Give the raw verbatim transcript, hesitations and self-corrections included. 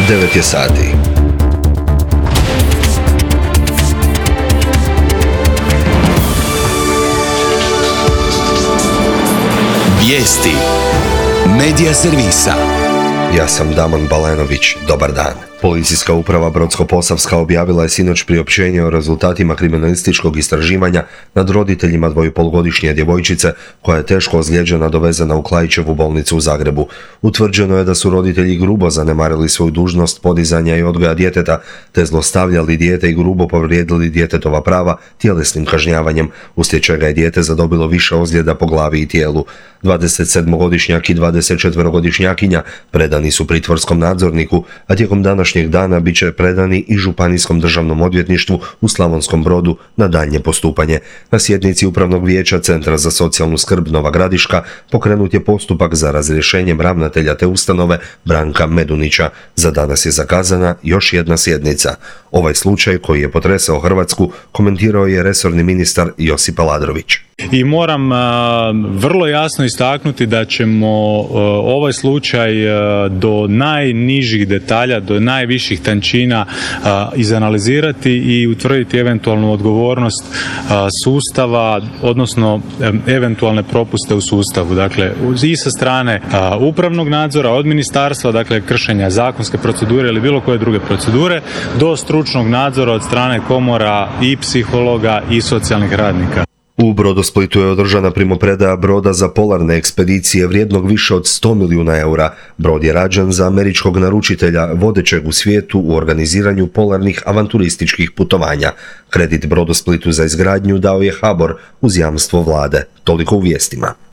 devet je sati. Vijesti Medija servisa. Ja sam Damon Balenović, dobar dan. Policijska uprava Brodsko-posavska objavila je sinoć priopćenje o rezultatima kriminalističkog istraživanja nad roditeljima dvojipolgodišnje djevojčice koja je teško ozlijeđena dovezena u Klaićevu bolnicu u Zagrebu. Utvrđeno je da su roditelji grubo zanemarili svoju dužnost podizanja i odgoja djeteta, te zlostavljali dijete i grubo povrijedili djetetova prava tjelesnim kažnjavanjem, uslijed čega je dijete zadobilo više ozljeda po glavi i tijelu. dvadesetsedmogodišnjak i dvadesetčetverogodišnjakinja predani su pritvorskom nadzorniku, a tijekom današnjeg dana bit će predani i Županijskom državnom odvjetništvu u Slavonskom Brodu na daljnje postupanje. Na sjednici Upravnog vijeća Centra za socijalnu skrb Nova Gradiška pokrenut je postupak za razrješenjem ravnatelja te ustanove Branka Medunića. Za danas je zakazana još jedna sjednica. Ovaj slučaj koji je potresao Hrvatsku komentirao je resorni ministar Josip Aladrović. I moram a, vrlo jasno istaknuti da ćemo a, ovaj slučaj a, do najnižih detalja, do najviših tančina a, izanalizirati i utvrditi eventualnu odgovornost a, sustava, odnosno a, eventualne propuste u sustavu. Dakle, i sa strane a, upravnog nadzora, od ministarstva, dakle kršenja zakonske procedure ili bilo koje druge procedure, do stručnog nadzora od strane komora i psihologa i socijalnih radnika. U Brodosplitu je održana primopredaja broda za polarne ekspedicije vrijednog više od sto milijuna eura. Brod je rađen za američkog naručitelja, vodećeg u svijetu u organiziranju polarnih avanturističkih putovanja. Kredit Brodosplitu za izgradnju dao je HBOR uz jamstvo vlade. Toliko u vijestima.